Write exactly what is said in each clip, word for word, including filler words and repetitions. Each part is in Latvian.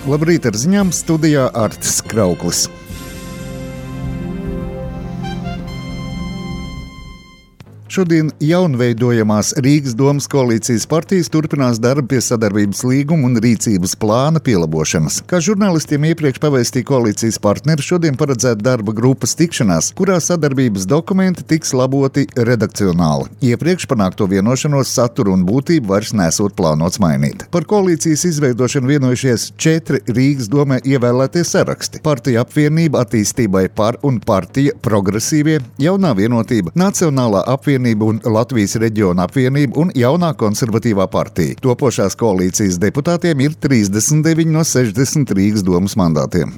Labrīt, ar ziņām studijā Artis Krauklis. Šodien jaunveidojamās Rīgas domas koalīcijas partijas turpinās darbu pie sadarbības līguma un rīcības plāna pielabošanas. Kā žurnālistiem iepriekš pavēstīja koalīcijas partneri, šodien paredzēta darba grupas tikšanās, kurā sadarbības dokumenti tiks laboti redakcionāli. Iepriekš panākto vienošanos saturu un būtību vairs nesot plānots mainīt. Par koalīcijas izveidošanu vienojušies četri Rīgas domē ievēlētie saraksti. Partija apvienība attīstībai par un partija progresīvie, jaunā vienotība, nacionālā apvienība un Latvijas reģiona apvienība un jaunā konservatīvā partija. Topošās koalīcijas deputātiem ir trīsdesmit deviņi no sešdesmit Rīgas domas mandātiem.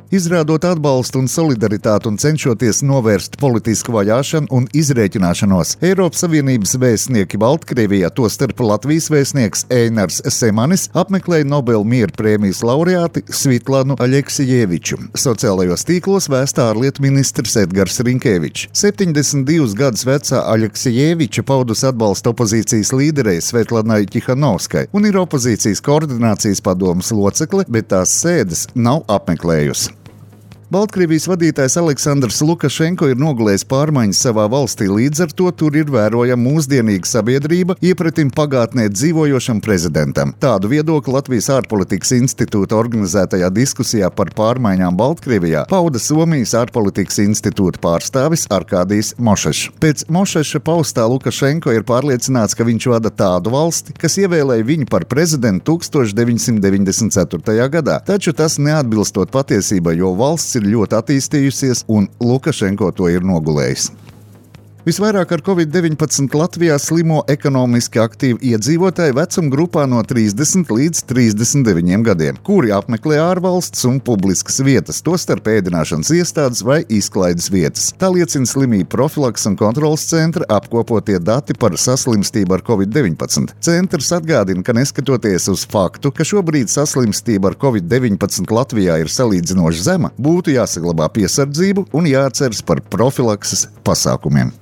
Izrādot atbalstu un solidaritāti un cenšoties novērst politisku vajāšanu un izrēķināšanos, Eiropas Savienības vēstnieki Baltkrievijā, tostarp Latvijas vēstnieks Einars Semanis, apmeklēja Nobel miera prēmijas laureāti Svitlanu Aleksijeviču. Sociālajos tīklos vēsta ārlietu ministrs Edgars Rinkēvičs. septiņdesmit divus gadus vecā Aleksijeviča paudus atbalstu opozīcijas līderei Svetlanai Tihanovskai un ir opozīcijas koordinācijas padomes locekle, bet tās sēdes nav apmeklējusi. Baltkrievijas vadītājs Aleksandrs Lukašenko ir nogulējis pārmaiņas savā valstī, līdz ar to tur ir vērojama mūsdienīga sabiedrība iepratim pagātnē dzīvojošam prezidentam. Tādu viedokli Latvijas ārpolitikas institūta organizētajā diskusijā par pārmaiņām Baltkrievijā pauda Somijas ārpolitikas institūta pārstāvis Arkādijs Mošešs. Pēc Mošeša paustā Lukašenko ir pārliecināts, ka viņš vada tādu valsti, kas ievēlēja viņu par prezidentu tūkstoš deviņsimt deviņdesmit ceturtajā gadā, taču tas neatbilstot patiesībai, jo valsts ir ļoti attīstījusies, un Lukašenko to ir nogulējis. Visvairāk ar covid deviņpadsmit Latvijā slimo ekonomiski aktīvi iedzīvotāji vecuma grupā no trīsdesmit līdz trīsdesmit deviņiem gadiem, kuri apmeklē ārvalsts un publiskas vietas, tostarp ēdināšanas iestādes vai izklaides vietas. Tā liecina slimību profilaks un kontrolas centra apkopotie dati par saslimstību ar covid deviņpadsmit. Centrs atgādina, ka neskatoties uz faktu, ka šobrīd saslimstība ar covid deviņpadsmit Latvijā ir salīdzinoši zema, būtu jāsaglabā piesardzību un jāatceras par profilakses pasākumiem.